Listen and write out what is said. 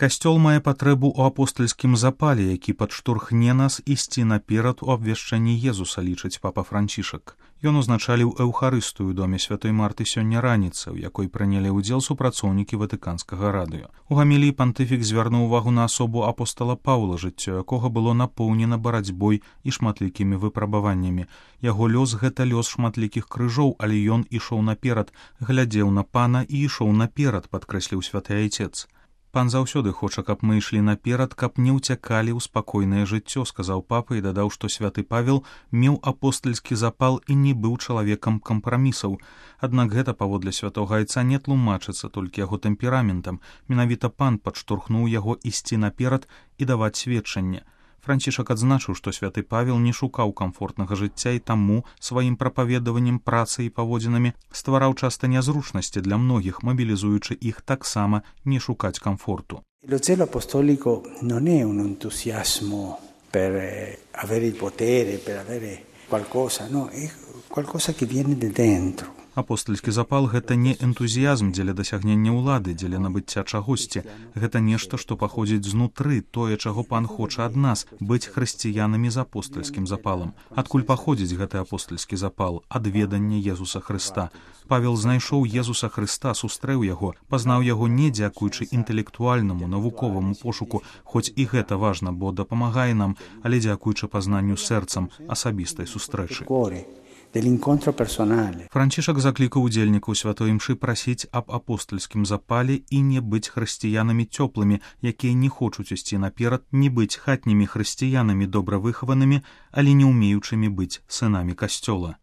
Касцёл мае патрэбу ў апостальскім запале, які падштурхне нас ісці наперад у абвяшчэнні Езуса, лічыць папа Францішак. Ён узначаліў эўхарыстыю ў доме святой Марты сёння раніцай, у якой прынялі ўдзел супрацоўнікі ватыканскага радыё. У гаміліі пантыфік звярнуў увагу на асобу апостала Паўла, жыццё якога было напоўнена барацьбой і шматлікімі выпрабаваннямі. Яго лёс — гэта лёс шматлікіх крыжоў, але ён ішоў наперад, глядзеў на пана і ішоў наперад, падкрэсліў святы айцец. Пан заўсёды хоча, каб мы ішлі наперад, каб не ўцякалі ў спакойнае жыццё, сказаў папа і дадаў, што святы Павел меў апостальскі запал і не быў чалавекам кампрамісаў. Аднак гэта, паводле святога айца, не тлумачыцца толькі яго тэмпераментам. Менавіта пан падштурхнуў яго ісці наперад і даваць сведчанне. Францішак адзначыў, што святы Павел не шукаў камфортнага жыцця і таму сваім прапаведаваннем, працай і паводзінамі ствараў часта нязручнасці для многіх, мабілізуючы іх таксама не шукаць комфорту. Lo zelo apostolico non è un entusiasmo per avere il potere, per avere qualcosa, no, è qualcosa che viene da dentro. Апостальскі запал — гэта не энтузіязм дзеля дасягнення ўлады, дзеля набыцця чагосьці. Гэта нешта, што паходзіць знутры, тое, чаго пан хоча ад нас, быць хрысціянамі з апостальскім запалам. Адкуль паходзіць гэты апостальскі запал? Ад ведання Езуса Хрыста. Павел знайшоў Езуса Хрыста, сустрэў яго, пазнаў яго не дзякуючы інтэлектуальнаму, навуковаму пошуку, хоць і гэта важна, бо дапамагае нам, але дзякуючы пазнанню сэрцам, асабістай сустрэчы. Францішак заклікаў удзельнікаў святой імшы прасіць аб апостальскім запале і не быць хрысціянамі цёплымі, якія не хочуць ісці наперад, не быць хатнімі хрысціянамі добра выхаванымі, але не ўмеючымі быць сынамі касцёла.